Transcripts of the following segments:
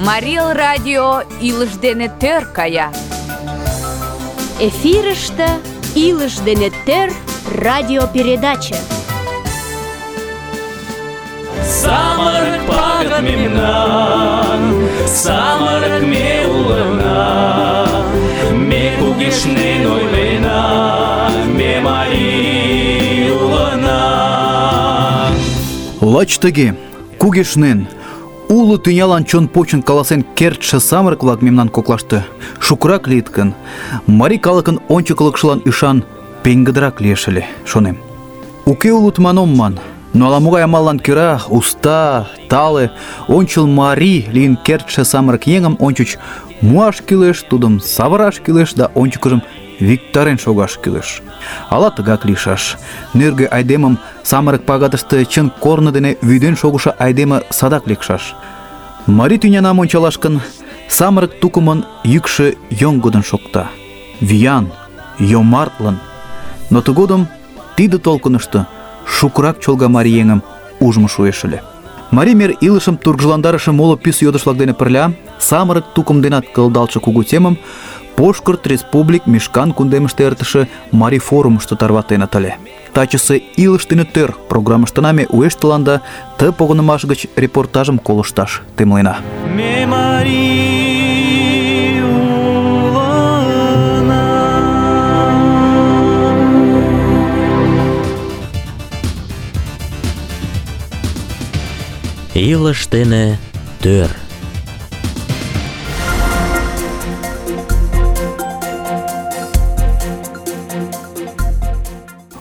Марий радио илыш дене тӧр кая. Эфирыште илыш дене тӧр радиопередача. Самырык пагыт мемнан, самырык ме улына, ме кугешнен ойлена, ме марий улына. Лач тыге, кугешнен, уло тӱнялан чон почын каласен кертше самырык-влак мемнан коклаште шукырак лийыт гын, марий калыкын ончыклыкшылан ӱшан пеҥгыдырак лиеш ыле, шонем. Уке улыт ман ом ман, но ала-могай амаллан кӧра уста, тале, ончыл марий лийын кертше самырык еҥым ончыч муаш кӱлеш, тудым савыраш кӱлеш да ончыкыжым виктарен шогаш кӱлеш. Ала тыгак лийшаш. Нӧргӧ айдемым самырык пагатыште чын корно дене вӱден шогышо айдеме садак лекшаш. Марий тӱнянам ончалаш гын, самырык тукымын йӱкшӧ йоҥгыдын шокта, виян, йомартлын. Но тыгодым тиде толкынышто шукырак чолга марий еҥым ужмо шуэш ыле. Марий мер илышым тургыжландарыше моло пӱс йодыш-влак дене пырля самырык тукым денат кылдалтше кугу темым Пошкырт Республик Мишкан кундемыште эртыше Марий форумышто тарватеныт ыле. Тачысе «Илыш дене тӧр» программыштына ме уэш тыланда ты погынымаш гыч репортажым колышташ темлена. Ме марий улына. Илыш дене тӧр.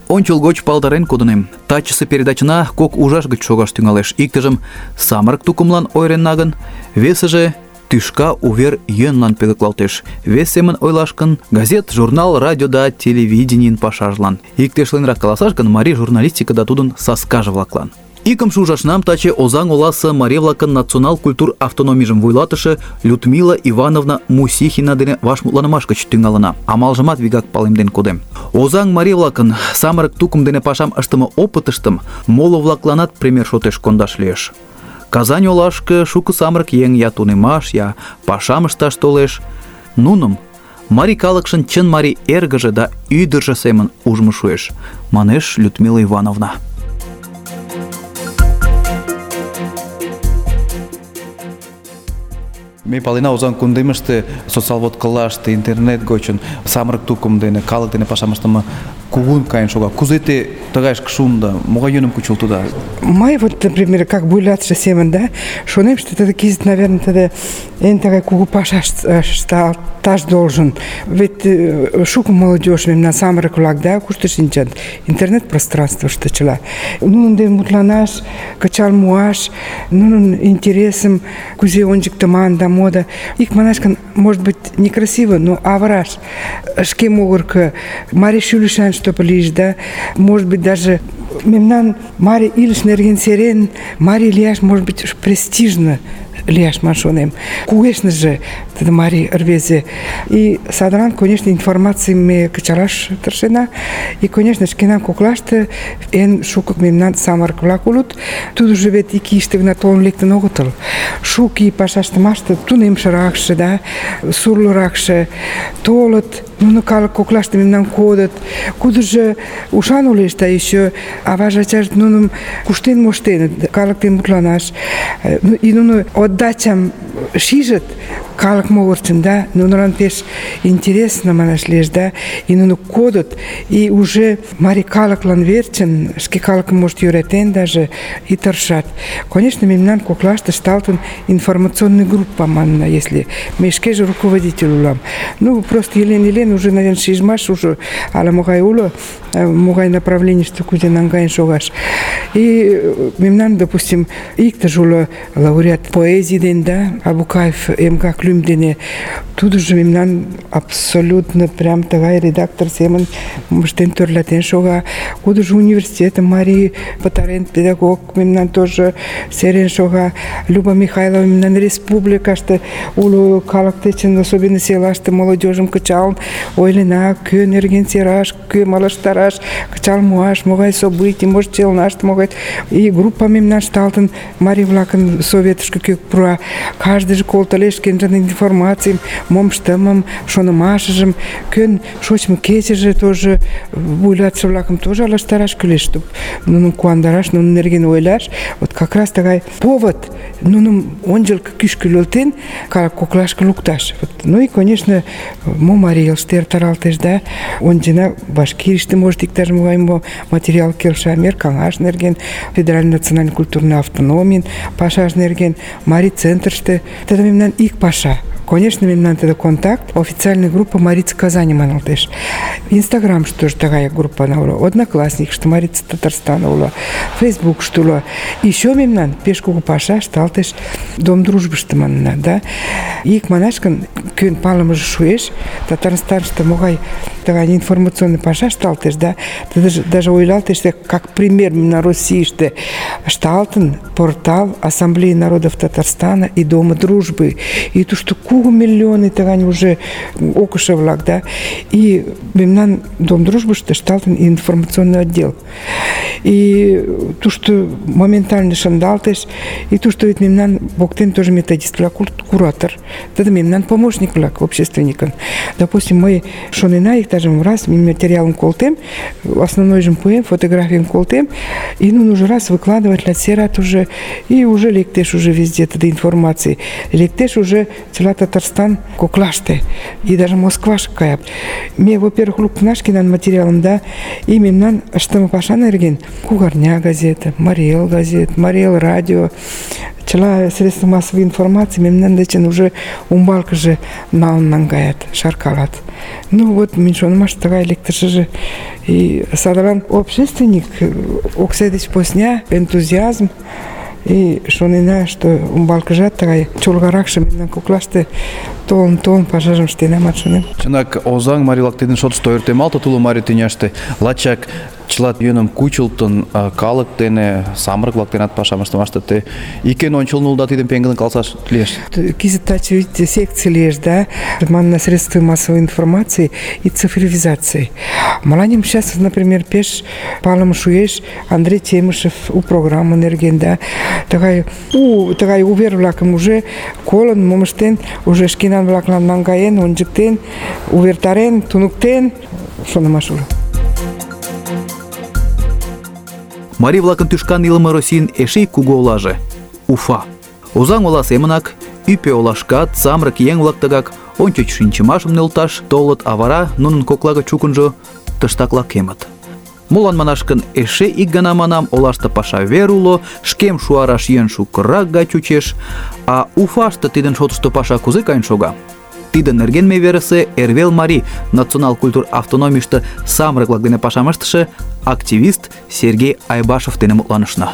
Ончылгоч палдарен кодынем. Тачысе передачына кок ужаш гыч шогаш тӱҥалеш. Иктыжым самырык тукымлан ойыренна гын, весыже тӱшка увер йӧнлан пӧлеклалтеш. Вес семын ойлаш гын, газет, журнал, радио да телевиденийын пашажлан. Иктешленрак каласаш гын, марий журналистика да тудын саскаже-влаклан. Икымше ужашнам таче Озаҥ оласе марий-влакын национал культур автономийжым вуйлатыше Людмила Ивановна Мусихина дене вашмутланымаш гыч тӱҥалына. Амалжымат вигак палемден кодем. Озаҥ марий-влакын самырык тукым дене пашам ыштыме опытыштым моло-влакланат пример шотеш кондаш лиеш. Казань олашке шуко самырык еҥ я тунемаш, я пашам ышташ толеш. Нуным марий калыкшын чын марий эргыже да ӱдыржӧ семын ужмо шуэш, манеш Людмила Ивановна. Ме палена, Озаҥ кундемыште социалводкылаште, интернет гочын самырык тукым дене, калык дене пашам ыштыме кугун каен шога. Кузе те тыгайышке шуында? Могай йӧным кучылтыда? Мый вот, например, как вуйлатыше семын, да, шонем, что это кизит, наверное, тогда эн такая кугу паша ышташ должен. Ведь шуко молодежь мемнан самырык-влак, да, кушто шинчат, интернет пространствыште чыла. Нунын дене мутланаш, кычал муаш, нунын интересым кузе ончыктыман да мода. Икманаш гын, может быть, некрасиво, но авыраш. Шке могыркы марий шӱлышан чтобы лийыш, да, может быть, даже мемнан марий илыш нерген серен, марий лияш, может быть, престижно лияш, ман шонем. Кугешныже тиде марий рвезе. И садран, конечно, информаций ме кычалаш тыршена. И, конечно, шкенан коклаште эн шуко мемнан самырык-влак улыт. Тудыжо вет ик ийыште гына толын лектын огытыл. Шуко ий пашаштымаште тунемшыракше, да, сурлыракше толыт. Нуно калык коклаште мемнан кодыт. Кудыжо ушан улеш, да еще аваже ачаже нуным куштен моштеныт, калык дене мутланаш. И нуно отдачам шижыт калык могырчын, да, нунылан пеш интересно манаш лиеш, да, и нуно кодыт, и уже марий калыклан верчын, шке калыкым, может, йӧратен даже, и тыршат. Конечно, мемнан коклаште ышталтын информационный группа манна, если ме шкеже руководитель улам. Ну, просто елен уже, наверное, шижмаш уже ала-могай уло, могай направленийыште кузе наҥгаен шогаш. И мемнан, допустим, иктыже уло лауреат поэзий ден, да, Абукаев МК Клюм дене, тудыжо мемнан абсолютно прям тыгай редактор семын моштен тӧрлатен шога. Кудыжо университетым марий пытарен, педагог мемнан тоже серен шога. Люба Михайлова мемнан республикаште уло калык дечын, особенно селаште молодежьым кычалын, ойлена, кӧ нерген сераш, кӧ малыштараш, кычал муаш, могай событий, может, челнашт могай. И группа мемнан шталтын марий-влакын советышко кӧ пура. Каждыйже колтылеш шкенжын информацийым, мом ыштымым, шонымашыжым, кӧн шочмо кечыже тоже вуйлатыше-влакым тоже алыштараш кӱлеш, чтобы нуным куандараш, нунын нерген ойлаш. Вот как раз тыгай повод нуным ончылко кӱшкӧ нӧлтен, калык коклашке лукташ. Вот. Ну и, конечно, мо марий элыште эртаралтеш, да, ончена Башкирийыште, может, иктаж-могай материал келша, мер каҥаш нерген, федеральный национальный культурный автономийын пашаж нерген, марий центрыште. Тиде мемнан ик паша. Конечно, мемнан тиде контакт, официальная группа Марица Казани маналтеш. Инстаграм, что же такая группа на Одноклассник, что Марица Татарстана ула, Фейсбук, что ула. Еще мемнан пеш кугу паша шталтеш Дом дружбы, что манна, да. Ик манашкан көн палымыжы шуэш, Татарстан, что могай такая информационный паша шталтеш, да. Ты даже ойлалтеш, как пример на России, что шталтен портал Ассамблеи народов Татарстана и Дома дружбы. И то, что миллионы тагань уже окушевлак, да, и мемнан Дом дружбы, что шталтен информационный отдел. И то, что моментально шандалтеш, и то, что ведь мемнан боктен тоже методист влак, куратор, это мемнан помощник влак, общественникам. Допустим, мы шонена их даже раз материалом колтем, основной же поем, фотографиям колтем, и ну нужно раз выкладывать для серат уже, и уже лектеш уже везде этой информации, лектеш уже цела Татарстан коклаште, и даже Москва шкая. Мне, во-первых, лук нашки над материалом, да, и мемнан, что мы паша нерген, Кугарня газета, Мариэл газет, Мариэл радио, цела средства массовой информации, мемнан дечен уже умбалка же нангает, шаркалат. Ну вот, меньшон маш такая лекторша же, и садаран общественник, окседич посня, энтузиазм, и шонина, что умбалкажат такая чулгаракша мемнан коклаште толын пажажым штенам атшонем. Чынак, озаң марилак тидin шотышто ойыртемалты тулы мари тӱняште лачак чыла йӧным кучылтын калык дене, самырык-влак денат пашам ыштымаште те икен ончылно улыда тидым пеҥгыдын каласаш лиеш. Кизыт таче видите секции лиеш, да, манна средства массовой информации и цифровизации. Маланим сейчас, например, пеш палым шуеш Андрей Темышев у программы нерген, да, такая увер-влакым уже колын, момыштен, уже шкенан-влаклан наҥгаен, ончыктен, увертарен, туныктен, шонымаш уло. Марий-влакын тӱшкан илыме Российын эше ик кугу олаже — Уфа. Озаҥ ола семынак ӱпӧ олашкат самырык еҥ-влак тыгак ончыч шинчымашым нӧлташ толыт, а вара нунын кокла гыч чукынжо тыштак лакемыт. Молан манаш гын, эше ик гана манам, олаште паша вер уло, шкем шуараш йӧн шукырак гай чучеш, а Уфаште тидын шотышто паша кузе каен шога? Тидын нерген ме верысе Эрвел марий национал культур автономийыште самырык-влак дене пашам ыштыше активист Сергей Айбашев дене мутланышна.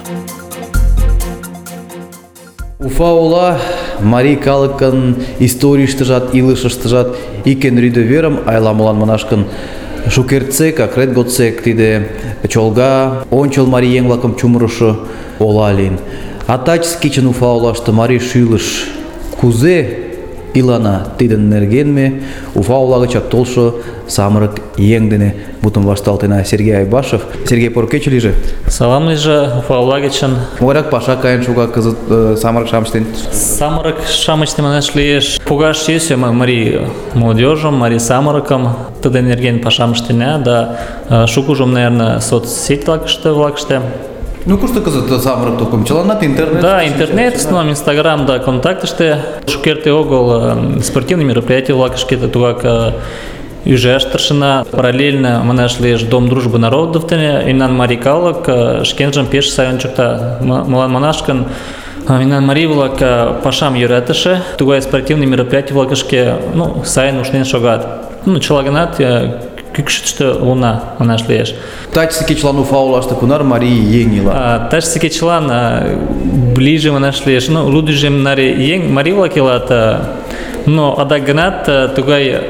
Уфа ола марий калыкын историйыштыжат, илышыштыжат икен рӱдӧ верым айла-молан манаш гын, шукертсек, акрет годсек тиде чолга, ончыл марий еҥ-влакым чумырышо ола лийын. А таче кечын Уфа олаште марий шӱлыш кузе илана, тидын нерген ме Уфа ола гычак толшо самырык еҥ дене мутым вашталтена. Сергей Айбашев. Сергей, поро кече лийже. Салам лийже, Уфа ола гычын. Могайрак паша каен шога кызыт самырык-шамыч дене? Самырык-шамыч манаш лиеш. Погаш йӧсӧ марий молодежьым, марий самырыкым тидын нерген пашам ыштена, да шукыжым, наверное, соцсеть-влакыште. Ну, кушто кызыт самырык тукым? Чыланат интернет? Да, интернет, в основном Инстаграм, да, контактыште. Шукерте огыл спортивный мероприятия-влакышке, тугак ӱжаш тыршена. Параллельно манаш лиеш Дом дружбы народов дене, мемнан марий калык шкенжым пеш сай ончыкта. Молан манаш гын, мемнан марий-влак пашам йӧратыше, тугай спортивный мероприятий-влакышке, ну, сайын ушнен шогат. Ну, чыла гынат кӱкшыштӧ улына, манаш лиеш. Тачысе кечылан Уфа олаште кунар марий еҥ ила? Тачысе кечылан ближе, манаш лиеш, ну, лудыжем наре еҥ, марий-влак илат, но адак гынат тугай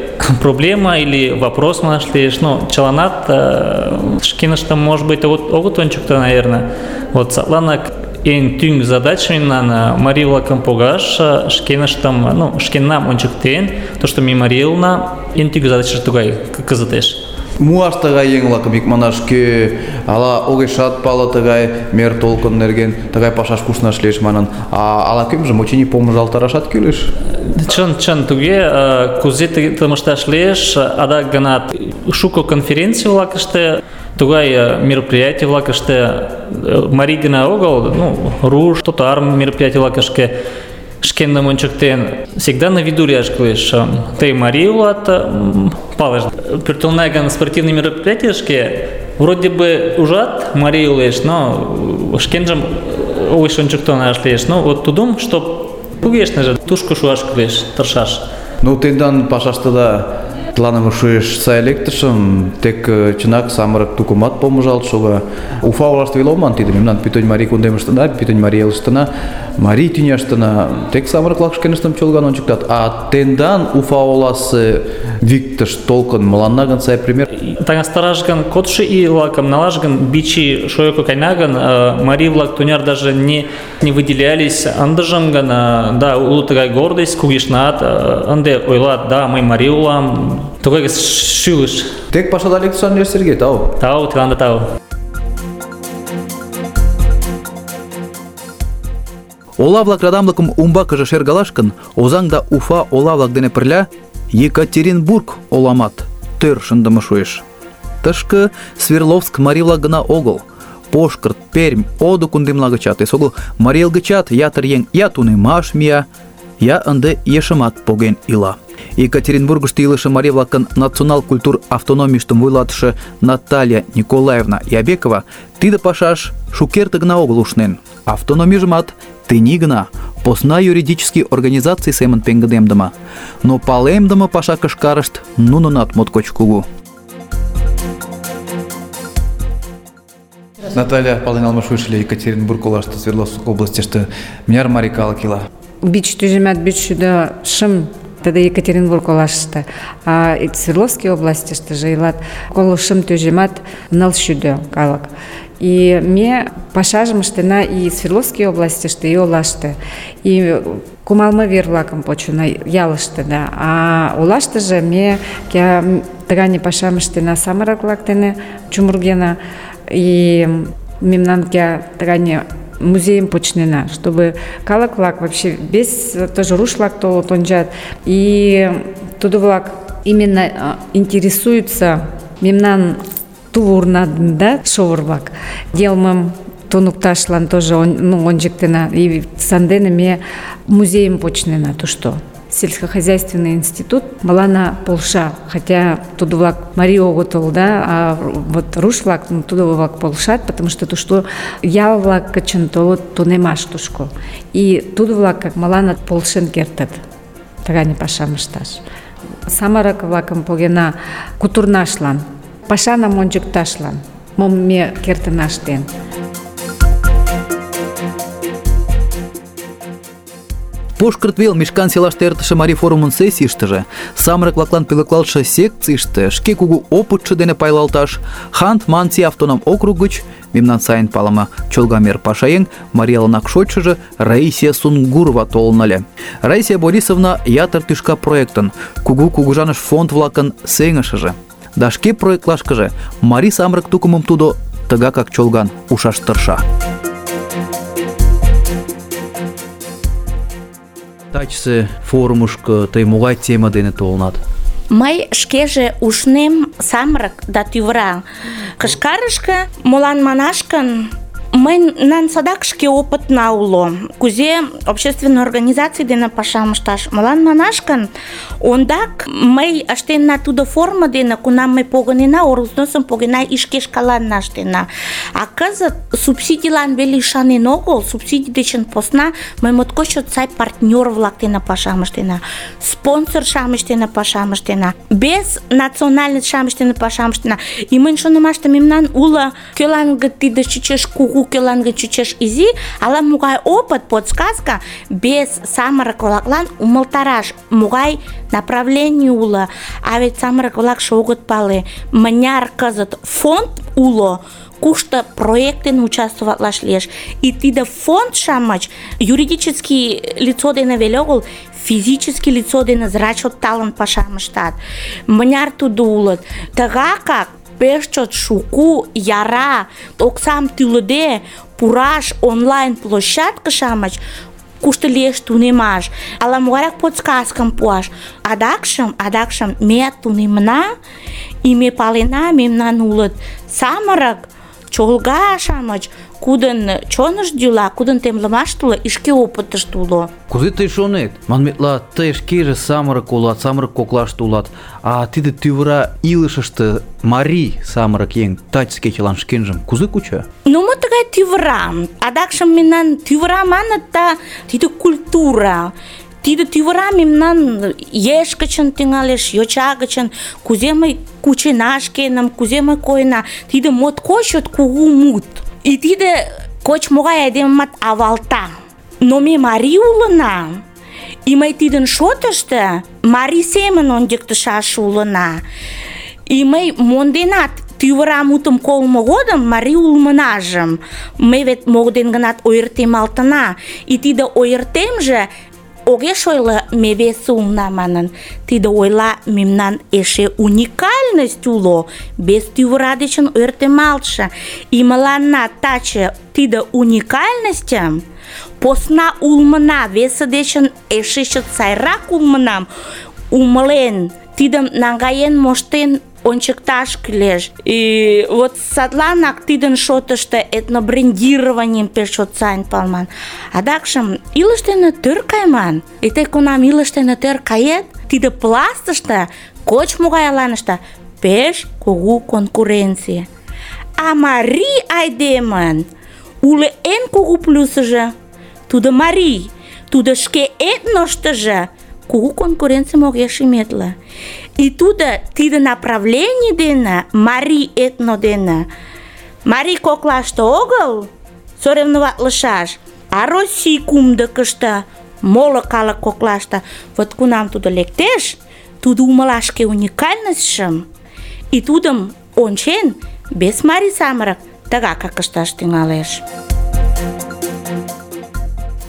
проблема или вопрос, манаш лиеш, ну, чыланат шкеныштым, может быть, огыт ончыкто, наверное. Вот садланак эн тӱҥ задач мемнан марий-влакым погаш, шкеннам ончыктен, тошто ме марий улына, эн тӱҥ задачше тугай кызытеш. Муаш тыгай еҥ-влакым икманаш, кӧ ала огешат пале тыгай мер толкын нерген, тыгай пашаш куснаш лиеш манын, ала-кӧмжым, очыни, помыжалтарашат кӱлеш. Чын, туге, кузе тыгым ышташ лиеш, адак гына шуко конференций-влакыште, тугай мероприятий-влакыште марий гына огыл, руш, татар мероприятий-влакышке шкендым ончыктен, всегда на виду лияш кӱлеш. Тый марий улат, палеш. Пӧртылна гын спортивный мероприятийышке, вроде бы ужат, марий улеш, но шкенжым огеш ончыктынаш лиеш. Вот тудым, что кугешныже тушко шуаш кӱлеш, тыршаш. Тендан пашаштыда тыланым шуэш сай лектышым, тек чынак самырык тукымат помыжалт шога. Уфа олаште веле оман тиде, мемнан пӱтынь марий кундемыштына, пӱтынь марий элыштына, марий тӱняштына тек самырык-влак шкеныштым чолган ончыктат. А тендан Уфа оласе виктыш толкын мыланна гын сай пример. Таҥастараш гын, кодшо ий-влакым налаш гын, бичи шойко кайна гын, марий-влак туняр даже не выделялись. Ындыжым гын, да, уло тыгай гордость, кугешнат, ынде ойлат, да, мый марий улам, тугай шӱлыш. Тек пашада лектышан лиеш, Сергей, тау. Тау, тыланда тау. Ола-влак радамлыкым умбакыже шергалаш гын, Озаҥ да Уфа ола-влак дене пырля Екатеринбург оламат тӧр шындыме шуэш. Тышке Свердловск марий-влак гына огыл, Пошкырт, Пермь, Одо кундемла гычат, эсогыл марий эл гычат ятыр еҥ я тунемаш мия, я ынде ешымат поген ила. Екатеринбургышто илыше марий-влакын национал культур автономийыштым вуйлатыше Наталья Николаевна Ябекова тиде пашаш шукерте гына огыл ушнен. Автономийжымат тений гына посна юридический организаций семын пеҥгыдемдыме, но палемдыме паша кышкарышт нунынат моткоч кугу. Наталья, пален налмаш шуэш ыле Екатеринбург олаште, Свердловск областьыште мыняр марий калык ила? Бич тӱжемат 500 тиде Екатеринбург олаште, а Свердловской областьыштыже илат 900 калык. И ме пашажым ыштена и Свердловской областьыште, и олаште. И кумалме вер-влакым почына ялыште, да. А олаштыже ме тыгане пашам ыштена самырык-влак дене чумыргена. И мемнан тыгане музейым почнена, чтобы калык-влак вообще весь тоже руш-влак толыт ончат. И тудо-влак именно интересуются мемнан тувурнадын, да, шовыр-влак. Йылмым туныкташлан тоже ончыктена. И сандене ме музейым почнена, то что. Сельскохозяйственный институт мыланна полша, хотя тудо-влак марий огытыл, да, а вот руш-влак тудо-влак полшат, потому что то, что ял-влак кычын толыт тунемаш тушко. И тудо-влак мыланна полшен кертыт, тыгане пашам ышташ. Самырык-влакым погена кутурнашлан, пашанам ончыкташлан, мом ме кертына ыштен. Пошкырт вел Мишкан селаште эртыше марий форумын сессийыштыже самырык-влаклан пӧлеклалтше секцийыште шке кугу опытшо дене пайлалташ Хант-Манси автоном округ гыч мемнан сайын палыме чолгамер пашаеҥ марий элынак шочшыжо Раисия Сунгурова толын ыле. Раисия Борисовна ятыр тӱшка проектын, кугу кугыжаныш фонд-влакын сеҥышыже. Да шке проектлашкыже марий самырык тукымым тудо тыгакак чолган ушаш тырша. Тачысе форумышко тый могай тема дене толынат? Мый шкеже ушнем самырык да тӱвыра кышкарышке, молан манаш гын, мыйнан садак шке опытна уло, кузе общественный организаций дене пашам ышташ. Молан манаш гын, ондак мый ыштенна тудо форма дене, кунам мый погынена, оргвзносым погена и шке шкаланна ыштена. А кызыт субсидийлан веле ӱшанен огыл, субсидий дечын посна мый моткоч чот сай партнёр-влак дене пашам ыштена, спонсор-шамыч дене пашам ыштена, без национальность-шамыч дене пашам ыштена. И мыйын шонымаште мемнан уло, кӧлан гын тиде чучеш кугу, кӧлан гын чучеш изи, ала-могай опыт, подсказка без самырык-влаклан умылтараш, могай направлений уло. А ведь самырык-влакше огыт пале, мыняр кызыт фонд уло, кушто проект дене участвоватлаш лиеш. И тиде фонд-шамыч юридический лицо дене веле огыл, физический лицо дене зрачот талын пашам ыштат. Мыняр тудо улыт. Тыгакак пеш чот шуку, яра, оксам тӱлыде пураш онлайн площадке-шамыч, кушто лиеш тунемаш, ала-могайрак подсказкым пуаш. Адакшым ме тунемна, и ме палена, мемнан улыт самырык чолга-шамыч, кудын чонышт йӱла, кудын темлымашт уло, и шке опытышт уло. Кузе тый шонет? Манметла, тый шкеже самырык улат, самырык коклаште улат, а тиде тӱвыра илышыште марий самырык еҥ таче кечылан шкенжым кузе куча? Ну, мо тыгай тӱвыра? Адакшым мемнан тӱвыра маныт да тиде культура. Тиде тӱвыра мемнан еш гычын тӱҥалеш, йоча гычын, кузе мый кучена шкенам, кузе мый койына. Тиде моткоч чот кугу мут. И тиде коч-могай айдемымат авалта. Но ме марий улына, и мый тидын шотышто марий семын ончыктышаш улына. И мый монденат тӱвыра мутым колмо годым марий улмынажым. Ме вет могден гынат ойыртемалтына. И тиде ойыртемже огеш ойло ме весе улна манын. Тиде ойла мемнан эше уникальность уло, без тӱвыра дечын ойыртемалтше. И мыланна таче тиде уникальностьым посна улмына, весе дечын эше чот сайрак улмынам умылен, тидым наҥгаен моштен ончыкташ кӱлеш. И вот садланак тидын шотышто этнобрендированием пеш чот сайын палман. Адакшым илыш дене тӧр кайман. И тый кунам илыш дене тӧр кает, тиде пластыште, коч-могай аланыште пеш кугу конкуренций. А марий айдемын уло эн кугу плюсыжо тудо марий, тудо шке этноштыжо кугу конкуренцийым огеш иметле. И тудо тиде направлений дене, марий этно дене, марий коклаште огыл соревноватлышаш, а Россий кумдыкышто, моло калык коклаште. Вот кунам тудо лектеш, тудо умыла шке уникальностьшым, и тудым ончен, без марий самырык тыгакак ышташ тӱҥалеш.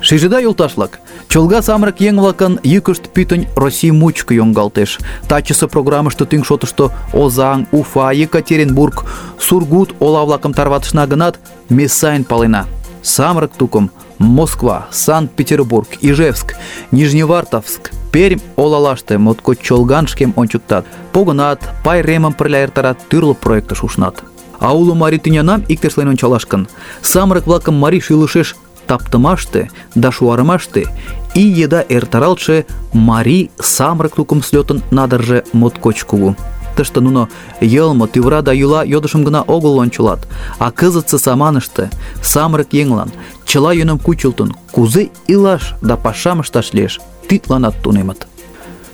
Шижыда, йолташ-влак, чолга самырык еҥ-влакын йӱкышт пӱтынь Россий мучко йоҥгалтеш. Тачысе программыште тӱҥ шотышто Озаҥ, Уфа, Екатеринбург, Сургут ола-влакым тарватышна гынат, ме сайын палена. Самырык тукым Москва, Санкт-Петербург, Ижевск, Нижневартовск, Пермь олалаште моткоч чолган шкем ончыктат. Погынат, пайремым пырля эртарат, тӱрлӧ проектыш ушнат. А уло марий тӱнянам иктешлен ончалаш гын, самырык-влакым марий шӱлышеш таптымаште да шуарымаште ий еда эртаралтше марий самырык тукым слётын надырже моткоч кугу. Тыште нуно йылме, тӱвыра да йӱла йодышым гына огыл ончылат, а кызытсе саманыште самырык еҥлан чыла йӧным кучылтын, кузе илаш да пашам ышташ лиеш, тидланат тунемыт.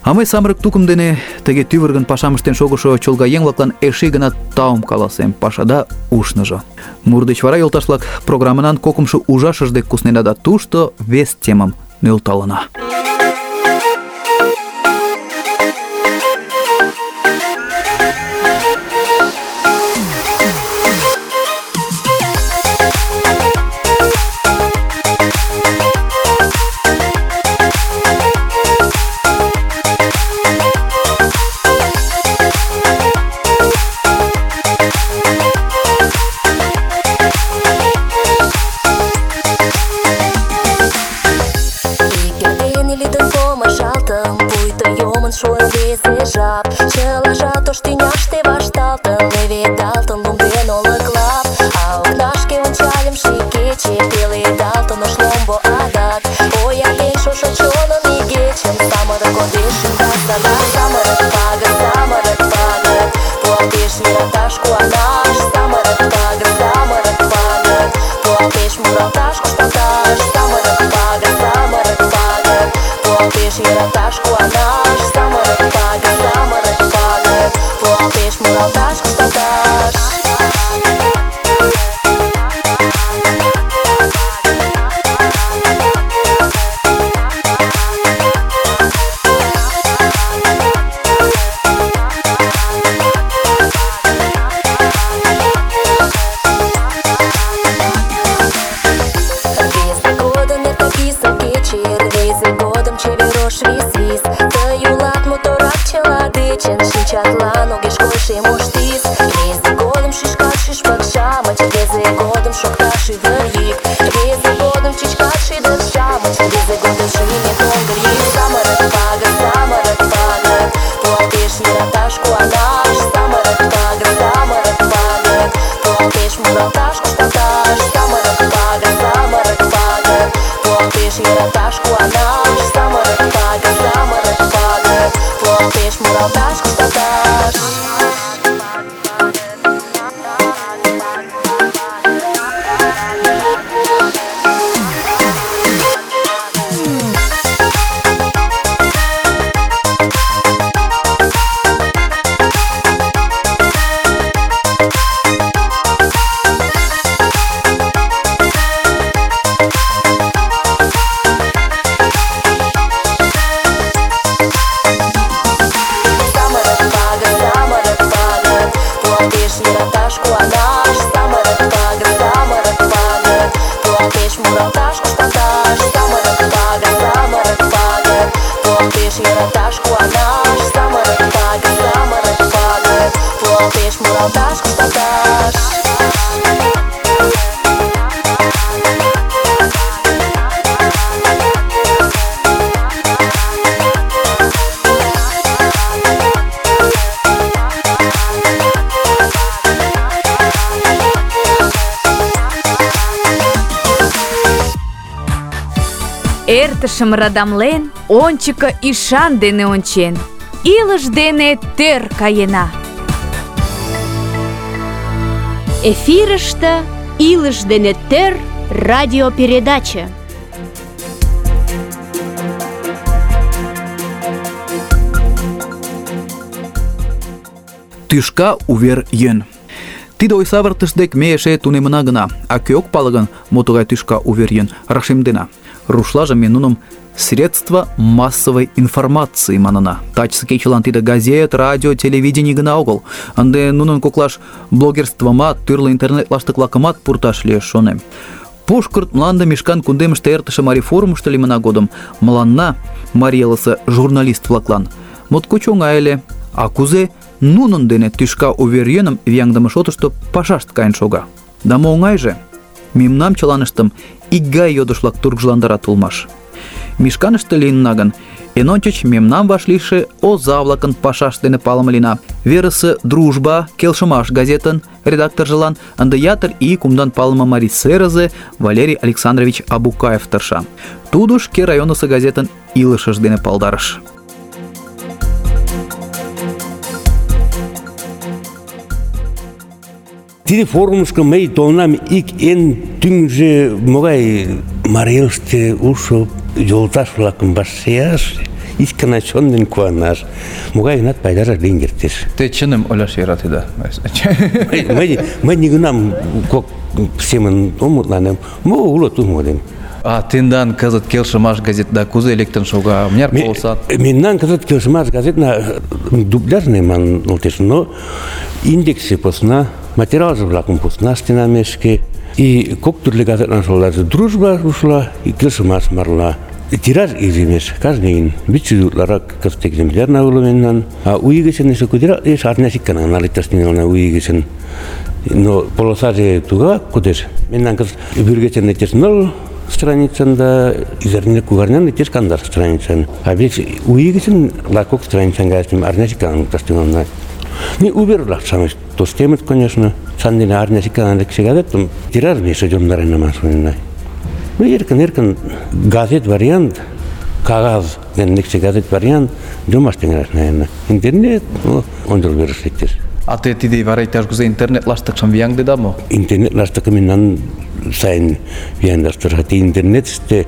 А мый самырык тукым дене тыге тӱвыргын пашам ыштен шогышо чолга еҥ-влаклан эше гына таум каласем, пашада ушныжо. Мур деч вара, йолташ-влак, программынан кокымшо ужашыж дек куснена да тушто вес темым нӧлталына. Чылажат ош тӱняште вашталтын, леведалтын лум ден олыклап. А окнашке ончальым ший кече, пеледалтын ош ломбо адак. Оятен шошо чоным игечым, самырык кодеш ӱмбак сада. Самырык пагыт, пуалтеш йӧраташ куанаш. Самырык пагыт, пуалтеш муралташ кушталташ. Самырык пагыт, пуалтеш йӧраташ куанаш. Самырык пагыт, пуалтеш муралташ кушталташ. Рвезе годым чевер ош вис-вис. Тый улат моторак чыла дечын, шинчатлан огеш кой шем ош тис. Рвезе годым шӱшкат шӱшпык-шамыч, рвезе годым шокта шӱвыр йӱк. Рвезе годым чӱчкат шӱдыр-шамыч, рвезе годым шӱмет оҥгыр йӱк. Самырык пагыт, пуалтеш йӧраташ куанаш. Самырык пагыт, пуалтеш муралташ кушталташ. Самырык пагыт, пуалтеш йӧраташ куанаш. Самырык пагыт, пуалтеш муралташ кушталташ. Эртышым радамлен, ончыко ӱшан дене ончен, илыш дене тӧр каена. Эфирыште «Илыш дене тӧр» радиопередача. Тӱшка увер йӧн. Тиде ойсавыртыш дек ме эше тунемына гына, а кӧ ок пале гын, мо тугай тӱшка увер йӧн, рашемдена. Рушлаже ме нуным средства массовой информации манына. Тачысе кечылан тиде газет, радио, телевидение гына огыл. Ынде нунын коклаш блогерствымат, тӱрлӧ интернет-лаштык-влакымат пурташ лиеш, шонем. Пушкырт мланде мешкан кундемыште эртыше Марий форумышто лиймына годым мыланна, Марий элысе журналист-влаклан, моткоч оҥай ыле. А кузе нунын дене тӱшка увер йӧным вияҥдыме шотышто пашашт каен шога. Да мо оҥайже? Мемнам чыланыштым икгай йодыш-влак тургыжландарат улмаш. Мишканыште лийынна гын, эн ончыч мемнам вашлийше оза-влакын пашашт дене палыме лийна. Верысе «Дружба», «Келшымаш» газетын редакторжылан ынде ятыр ий кумдан палыме марий сырызе Валерий Александрович Абукаев тырша. Тудо шке районысо газетын илышыж дене палдарыш. Тиде форумышко мый толынам ик эн тӱҥжӧ могай Марий Элыште улшо йолташ-влакым вашлияш, икана чон дене куанаш, могай-гынат пайдаже лийын кертеш. Те чыным ойлаш йӧратеда. Мый нигунам кок семын ом мутланем, мо уло тумо ден. А тендан кызыт «Келшымаш» газетда кузе лектын шога? Мыняр полосат? Мемнан кызыт «Келшымаш» газетна дубляжный манын олтеш, но индексе посна, материалже-влакым посна ыштена мешке. И кок тӱрлӧ газетлан шолаже «Дружба» ушла, и «Келшымаш» марла. Тираж иземеш, каждый день. 500 утларак кызыт экземплярна уло мемнан. А у ий гычын эше кудерак лиеш, арняш ик гана наликташ тӱҥална у ий гычын. Но полосаже тугак кодеш. Мемнан кызыт вӱргечын лектеш 0 страницын да изарня кугарнян лектеш 10 страницын. А вес у ий гычын лакок страницын газетым арняш ик гана лукташ тӱҥална. Не увер-влак-шамыч тоштемыт, конечно. Сандене арняш ик гана лекше газетым тираж меше жондаренамаш шонена. Ну, эркын-эркын газет вариант, кагаз дене лекше газет вариант жомаш тӱҥалаш, наверное. Интернет, ончыл верыш лектеш. А те тиде вара иктаж-кузе интернет-лаштыкшым вияҥдеда мо? Интернет-лаштыкым мемнан сайын вияҥдаш. Интернетыште,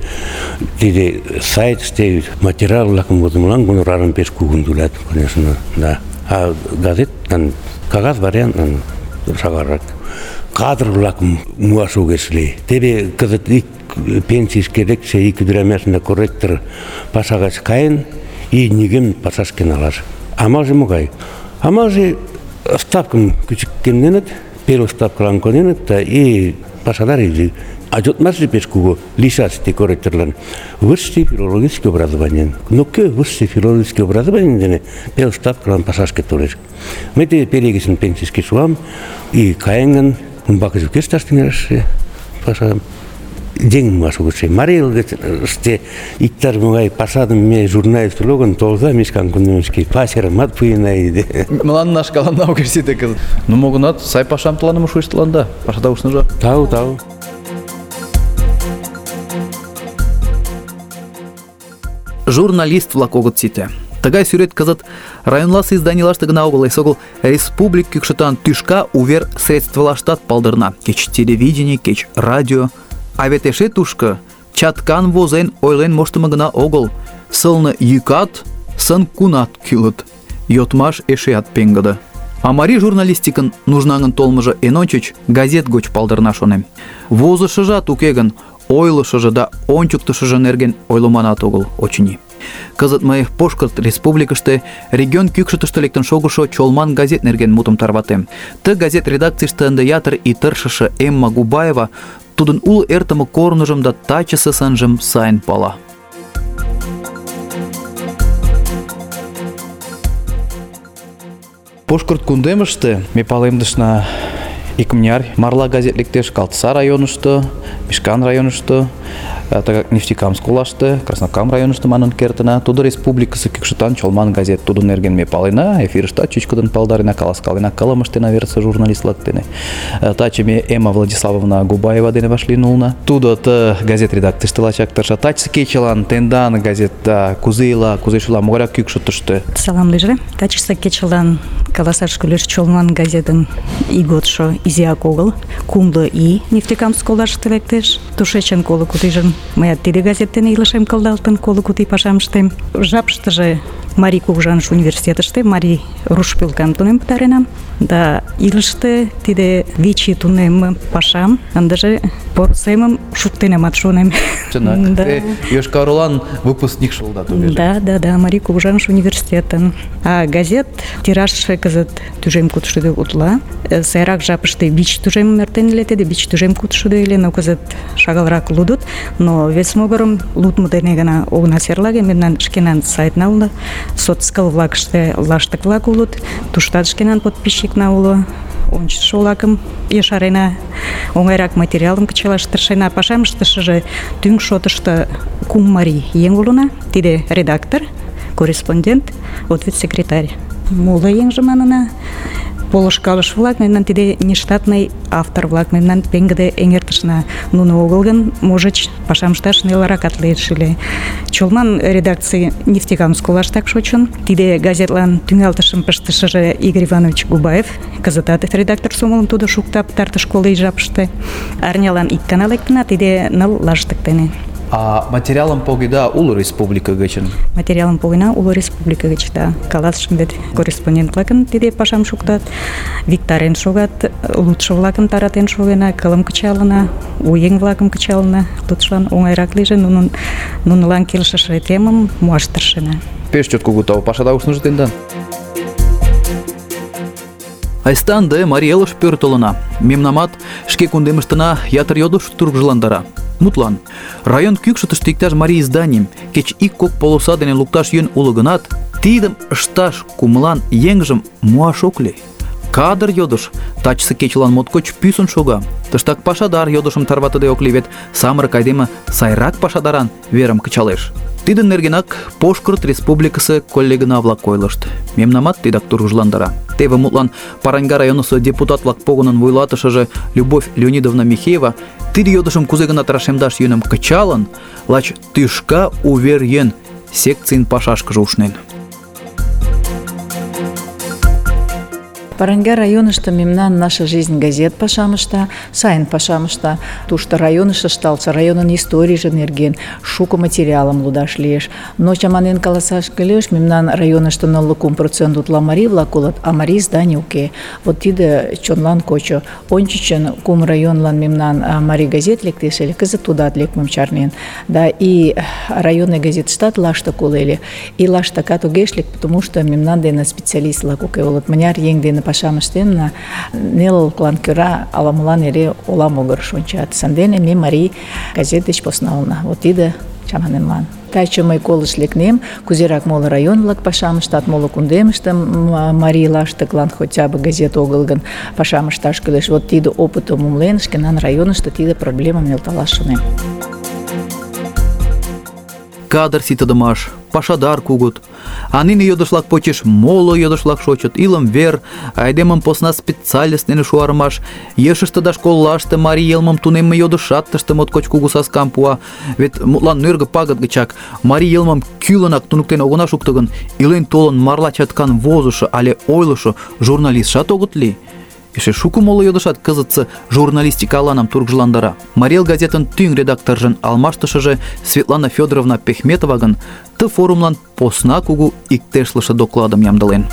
тиде сайтыште материал-влакым возымылан гонорарым пеш кугун тӱлат, конечно, да. А газеттан, кагаз вариантлан шагалрак. Кадр-влакым муаш огеш лий. Теве кызыт ик пенсийышке лекше ик ӱдырамашна корректор паша гыч каен, и нигӧм пашашке налаш. Амалже могай? Амалже ставкым кӱчыкемденыт, пел ставкылан коненыт, и пашадар изи А жотмаши пеш кугу лишасти корректерлан высшее филологическое образование. Но кö высшее филологическое образование дене пел ставкалан пашашке толеш. Мый те перегесин пенсийский шуам и каянган бакызып кешташтынерше паша день машу гыше. Марил гыше иктар мугай пашадым ме журналист логан толза мишкан куннемский пасермат пуйна иде. Мылан наш калан наугерсите кыз. Ну могунат сай пашам тыланым шуйстланда. Пашада ушнужа. Тау. Журналист-влак огыт сите. Тыгай сӱрет кызыт районласе изданийлаште гына огыл, эсогыл республик кӱкшытан тӱшка увер средствылаштат палдырна. Кеч телевидение, кеч радио. А вет эше тушко чаткан возен ойлен моштымо гына огыл. Сылне йӱкат, сын-кунат кӱлыт. Йодмаш эшеат пеҥгыде. А марий журналистикын нужнаҥын толмыжо эн ончыч газет гоч палдырна, шонем. Возышыжат уке гын, ойлышыжо да ончыктышыжо нерген ойлыманат огыл, очыни. Кызыт мый Пошкырт республикыште регион кӱкшытыштӧ лектын шогышо Чолман газет нерген мутым тарватем. Ты газет редакцийыште ынде ятыр ий тыршыше Эмма Губаева тудын уло эртыме корныжым да тачысе сынжым сайын пала. Пошкырт кундемыште ме палемдышна икмыняр марла газет лектеш Калтыса районышто, Мишкан районышто, тыгак Нефтекамск олаште, Краснокам районышто манын кертына. Тудо республикысе кӱкшытан Чолман газет, тудын нерген ме палена, эфирыштат чӱчкыдын палдарена, каласкалена, кылым ыштена верысе журналист-влак дене. Таче ме Эмма Владиславовна Губаева дене вашлийын улына. Тудо ты газет редакцийыште лачак тырша. Тачысе кечылан тендан газетта кузе ила, кузе шула, могайрак кӱкшытыштӧ? Салам лийже. Тачысе кечылан каласаш кӱлеш Чолман газетын ийготшо изиак огыл. Кумло ий Нефтекамск олаште лектеш. Тушечын коло куд ийжым мыят тиде газет дене илышем кылдалтын, коло куд ий пашам ыштем. Жапыштыже Марий кугыжаныш университетыште марий руш пӧлкам тунем пытаренам. Да илыште тиде 5 ий тунем пашам ындыже порысемым шуктенамат, шонем. Чынак, те Йошкар-Олан выпускникше улыда тугеже. Да, Марий кугыжаныш университетын. А газет тиражше кызыт тӱжем кудшӱдӧ утла. Сайрак жапыште 5 тӱжемым эртен ыле, тиде 5 тӱжем кудшӱдӧ ыле, но кызыт шагалрак лудыт. Но вес могырым лудмо дене гына огына серлаге, мемнан шкенан сайтна уло, соцкыл-влакыште лаштык-влак улыт, туштат шкенан подписчикна уло. Ончышо-влакым ешарена, оҥайрак материалым кычалаш тыршена. Пашам ыштышыже тӱҥ шотышто 3 марий еҥ улына. Тиде редактор, корреспондент, ответ-секретарь. Моло еҥже манына полышкалыш-влак, мемнан тиде нештатный автор-влак, мемнан пеҥгыде эҥертышна. Нуно огыл гын, можыч, пашам ышташ нелыракат лиеш ыле. Чолман редакций Нефтекамск олаштак шочын. Тиде газетлан тӱҥалтышым пыштышыже Игорь Иванович Губаев, кызытат редактор сомылым тудо шукта пытартыш коло ий жапыште. Арнялан ик гана лектына, тиде 9 лаштык дене. А материалым погеда уло республика гычын? Материалым погена уло республика гыч, да. Каласышым вет корреспондент-влакын тиде пашам шуктат, виктарен шогат, лудшо-влакым таратен шогена, кылым кычалына, у еҥ-влакым кычалына, лудшлан оҥайрак лийже, нунылан келшыше темым муаш тыршена. Пеш чот кугу тау, пашада ушныжо тендан. Айста ынде Марий Элыш пӧртылына. Мемнамат шке кундемыштына ятыр йодыш тургыжландара. Мутлан, район кӱкшытыштӧ иктаж марий изданийым кеч ик-кок полоса дене лукташ йӧн уло гынат, тидым ышташ кумылан еҥжым муаш ок лий. Кадр йодыш тачысе кечылан моткоч пӱсын шога. Тыштак пашадар йодышым тарватыде ок лий, вет самырык айдеме сайрак пашадаран верым кычалеш. Тидын нергенак Пошкырт республикысе коллегына-влак ойлышт. Мемнамат тидак тургыжландара. Теве мутлан Параньга районысо депутат-влак погынын вуйлатышыже Любовь Леонидовна Михеева тиде йодышым кузе гынат рашемдаш йӧным кычалын, лач тӱшка увер йӧн секцийын пашашкыже ушнен. Параньга районышто мемнан «Наша жизнь» газет пашам ышта, сайын пашам ышта. Тушто районыш ышталтше, районын историйже нерген шуко материалым лудаш лиеш. Но чаманен каласаш кӱлеш, мемнан районышто 0,3% утла марий-влак улыт, а марий изданий уке. Вот тиде чонлан кочо. Ончычын 3 районлан мемнан марий газет лектеш ыле, кызыт тудат лекмым чарнен. Да и районный газетыштат лаштык уло ыле. И лаштыкат огеш лек, потому что мемнан дене специалист-влак уке улыт. Мыняр еҥ дене пашам ыштенна, нелылыклан кӧра ала-молан эре ола могырыш ончат. Сандене ме марий газет деч посна улына. Вот тиде чаманемлан. Таче мый колышт лекнем, кузерак моло район-влак пашам ыштат, моло кундемыште марийлаштыклан хотя бы газет огыл гын пашам ышташ кӱлеш. Вот тиде опытым умылен, шкенан районышто тиде проблемам нӧлталаш шонем. Кадр ситыдымаш, пашадар кугут. А нине йодышлак почеш моло йодышлак шочыт. Илым вер, айдемым посна специалист дене шуарымаш, ешыште да школлаште марий йылмым тунемме йодышат тыште моткоч кугу саскам пуа. Вет мутлан нӧргӧ пагыт гычак марий йылмым кӱлынак туныктен огына шукто гын, илен толын марла чаткан возышо але ойлышо журналистшат огыт лий. Эше шуко моло йодышат кызытсе журналистика аланам тургыжландара. Марий Эл газетын тӱҥ редакторжын алмаштышыже Светлана Федоровна Пехметова гын ты форумлан посна кугу иктешлыше докладым ямдылен.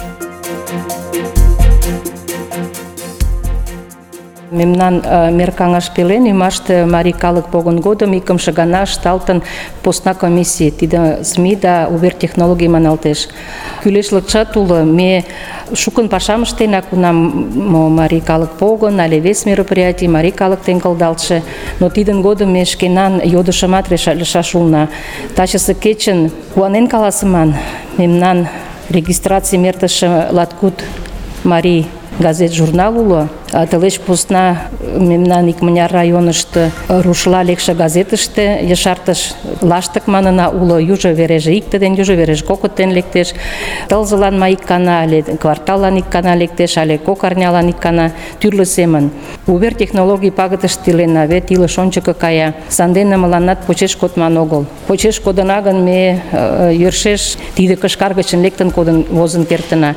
Мемнан меркаҥаш пелен ӱмаште марий калык погын годым икымше гана ышталтын посна комиссий, тиде СМИ да увер технологий маналтеш. Кӱлешлыкшат уло, ме шукын пашам ыштена, кунам марий калык погын але вес мероприятий марий калык теҥгылдалтше, но тидын годым ме шкенан йодышымат решатлышаш улына. Тачысе кечын куанен каласыман, мемнан регистрацийым эртыше латкуд марий газет журнал уло. Тылеч посна мемнан икмыняр районышто рушла лекше газетыште ешартыш лаштык манына уло, южо вереже икте ден, южо вереже кокытен лектеш. Тылзылан ма ик гана але кварталлан ик гана лектеш, але кок арнялан ик гана, тӱрлӧ семын. Увер технологий пагытыште илена, вет илыш ончыко кая. Сандене мыланнат почеш кодман огыл. Почеш кодына гын, ме йӧршеш тиде кышкар гычын лектын кодын возын кертына.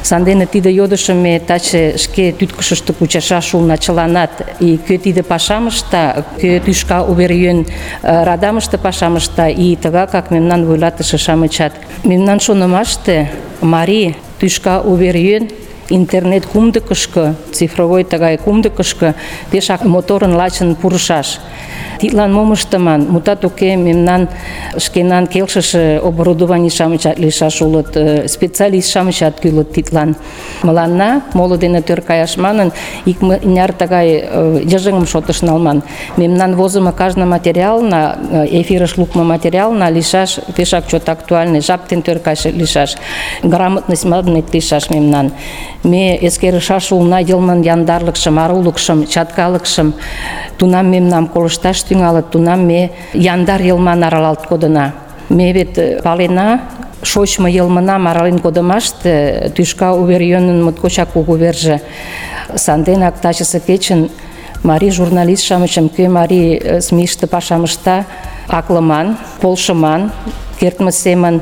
Сандене тиде йодышым ме таче шке тӱткышыштӧ кучашаш улына чыланат. И кӧ тиде пашам ышта, кӧ тӱшка увер-йӧн радамыште пашам ышта, и тыгакак мемнан вуйлатыше-шамычат. Мемнан шонымаште марий тӱшка увер-йӧн интернет кумдыкышко, цифровой тыгай кумдыкышко пешак моторын лачын пурышаш. Тидлан мом ыштыман? Мутат уке, мемнан шкенан келшыше оборудований-шамычат лийшаш улыт, специалист-шамычат кӱлыт тидлан. Мыланна, моло дене тӧр каяш манын, икмыняр тыгай йыжыҥым шотыш налман. Мемнан возымо кажне материална, эфирыш лукмо материална лийшаш пешак чот актуальный, жап дене тӧр кайыше лийшаш. Грамотность манмет лийшаш мемнан. Ме эскерышаш улына йылмын яндарлыкшым, арулыкшым, чаткалыкшым. Тунам мемнам колышташ тӱҥалыт, тунам ме яндар йылман аралалт кодына. Ме вет палена, шочмо йылмынам арален кодымаште тӱшка увер-йӧнын моткочак кугу верже. Санденак тачысе кечын марий журналист-шамычым, кӧ марий СМИ-ште пашам ышта, аклыман, полшыман, кертме семын.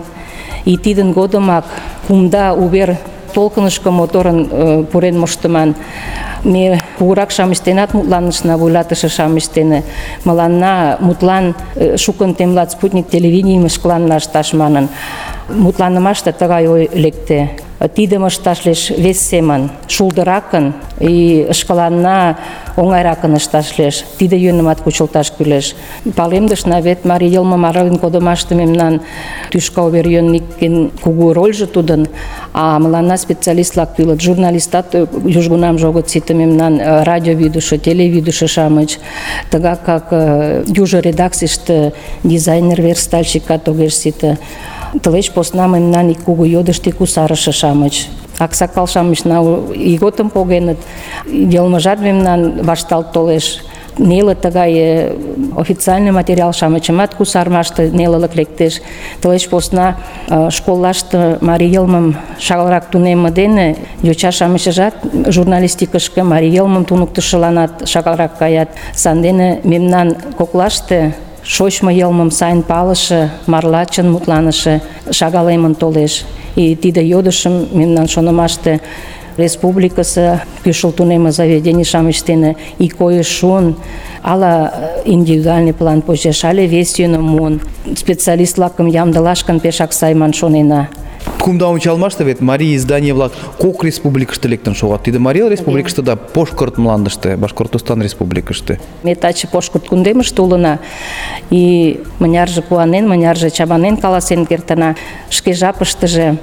И тидын годымак кумда увер толкынышко моторын пурен моштыман. Ме кугурак-шамыч денат мутланышна, вуйлатыше-шамыч дене. Мыланна мутлан шукын темлат спутник телевиденийым шкаланна ышташ манын. Мутланымаште тыгай ой лекте. Тидым ышташ лиеш вес семын, шулдыракын и шкаланна оҥайракын ышташ лиеш. Тиде йӧнымат кучылташ кӱлеш. Палемдышна, вет марий йылмым арален кодымаште мемнан тӱшка увер-йӧнникын кугу рольжо тудын, а мыланна специалист-влак кӱлыт. Журналистат южгунамже огыт сите, мемнан радиовидыше, телевидыше-шамыч. Тыгакак южо редакцийыште дизайнер, верстальщикат огеш сите. Тылеч посна мемнан ик кугу йодышт кусарыше-шамыч. Аксакал-шамычна ийготым погеныт, йылмыжат мемнан вашталт толеш. Неле тыгай официальный материал-шамычымат кусарымаште нелылык лектеш. Тылеч посна школлаште марий йылмым шагалрак тунемме дене йоча-шамычыжат журналистикышке марий йылмым туныктышыланат шагалрак каят. Сандене мемнан коклаште шочмо йылмым сайын палыше, марла чын мутланыше шагалемын толеш. И тиде йодышым мемнан шонымаште республикысе кӱшыл тунемме заведений-шамыч дене ик койыш шуын, ала индивидуальный план почеш, але вес йӧным муын. Специалист-влакым ямдылаш гын пешак сай ман шонена. Кумда ончалмаште вет марий издание-влак кок республикыште лектын шогат. Тиде Марий Эл республикыште да Пошкырт мландыште, Башкортостан республикыште. Ме таче Пошкырт кундемыште улына, и мынярже куанен, мынярже чаманен каласен кертына. Шке жапыштыже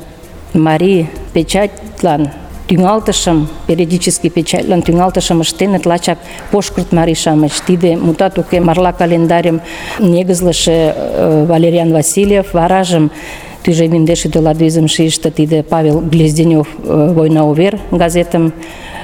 марий печатлан тӱҥалтышым, периодический печатлан тӱҥалтышым ыштеныт лачак Пошкырт марий-шамыч. Тиде, мутат уке, марла календарьым негызлыше Валериан Васильев, варажым тӱжем индеш ӱдыладӱзым шийыште тиде Павел Глезденев «Война увер» газетым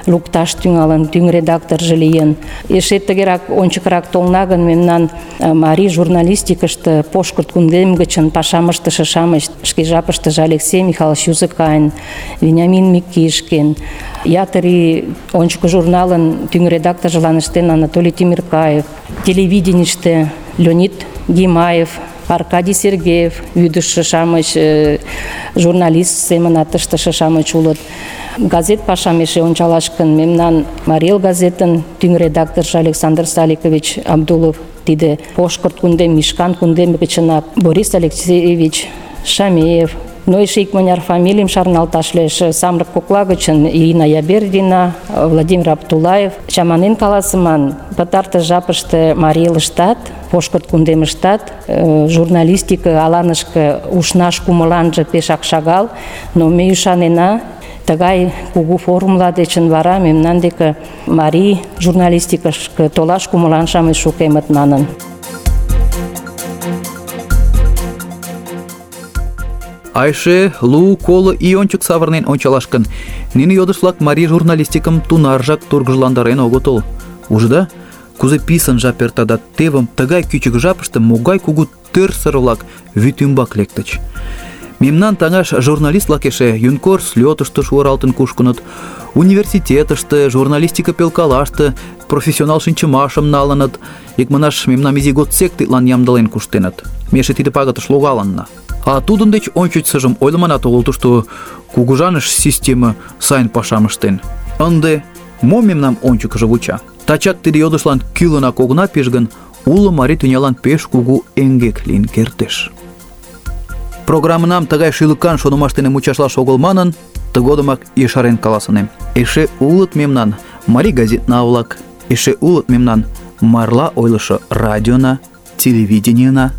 лукташ тӱҥалын, тӱҥ редакторжо лийын. Эше тыгерак ончыкрак толна гын, мемнан марий журналистикыште Пошкырт кундем гычын пашам ыштыше-шамыч, шке жапыштыже Алексей Михайлович Юзыкайн, Вениамин Микишкин, ятыр ий ончыко журналын тӱҥ редакторжылан ыштен Анатолий Тимиркаев, телевиденийыште Леонид Гимаев, Аркадий Сергеев, вӱдышӧ-шамыч, журналист семынат ыштыше-шамыч улыт. Газет пашам эше ончалаш гын, мемнан Марий Эл газетын тӱҥ редакторжо Александр Саликович Абдулов, тиде Пошкырт кундем, Мишкан кундем гычынак Борис Алексеевич Шамеев, но эше икмыняр фамилийым шарналташ лиеш. Самырык кокла гычын Ирина Ябердина, Владимир Аптулаев. Чаманен каласыман, пытартыш жапыште Марий Элыштат, Пошкырт кундемыштат журналистика аланышке ушнаш кумыланже пешак шагал, но ме ӱшанена, тыгай кугу форумла дечын вара мемнан деке марий журналистикышке толаш кумылан-шамыч шукемыт манын. Айше лу коло ий ончык савырнен ончалаш гын, нине йодыш-влак марий журналистикым тунаржак тургыжландарен огытыл. Ужыда, кузе писын жап эрта да тевым тыгай кӱчык жапыште могай кугу тӧрсыр-влак вӱд ӱмбак лектыч. Мемнан таҥаш журналист-влак эше юнкор слётышто шуыралтын кушкыныт, университетыште, журналистика пелкалаште профессионал шинчымашым налыныт, икманаш мемнам изи годсек тидлан ямдылен куштеныт. Ме эше тиде пагытыш логалынна. А тудын деч ончычсыжым ойлыманат огыл, тушто кугыжаныш система сайын пашам ыштен. Ынде мо мемнам ончыкыжо вуча? Тачак тиде йодышлан кӱлынак огына пиж гын, уло марий тӱнялан пеш кугу эҥгек лийын кертеш. Программынам тыгай шӱлыкан шонымаш дене мучашлаш огыл манын, тыгодымак ешарен каласынем. Эше улыт мемнан марий газетна-влак, эше улыт мемнан марла ойлышо радиона, телевидениена.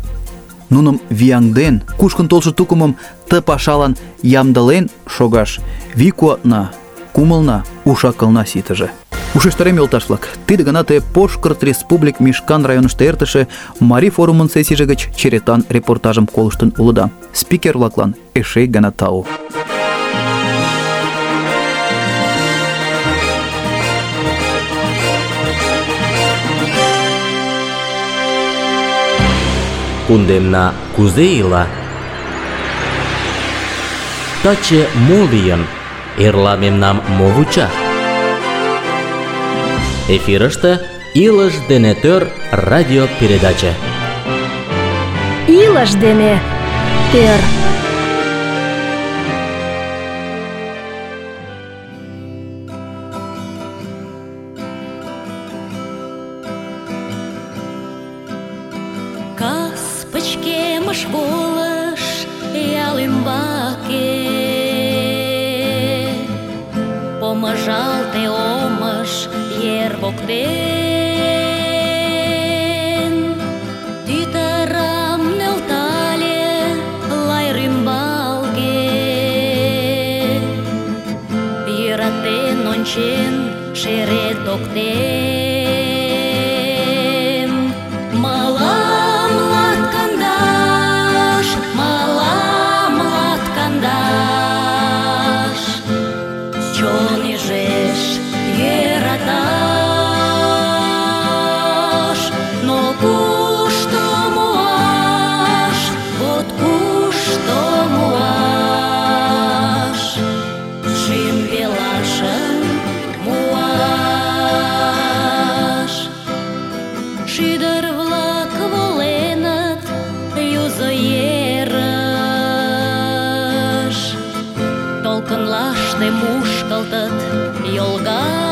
Нуным вияҥден, кушкын толшо тукымым ты пашалан ямдылен шогаш вий куатна, кумылна, уш-акылна ситыже. Ушештарем, йолташ-влак, тиде гана те Пошкырт республик Мишкан районыште эртыше марий форумын сессийже гыч черетан репортажым колыштын улыда. Спикер-влаклан эше ик гана тау. Кундемна кузе ила? Таче мо лийын? Эрла мемнам мо вуча? Эфирыште «Илыш дене тӧр» радиопередача. Илыш дене тӧр. Кас пычкемыш волыш ял ӱмбаке, помыжалте омыш ер воктен. Тӱтырам нӧлтале лай рӱмбалге, йӧратен ончен шерет октем. Мылам латкандаш, мылам латкандаш, чон ӱжеш йӧраташ. Но кушто муаш, вот кушто муаш, шӱм пелашым муаш. Шӱдыр-влак воленыт юзо ерыш, толкынлаште мушкылтыт йолга.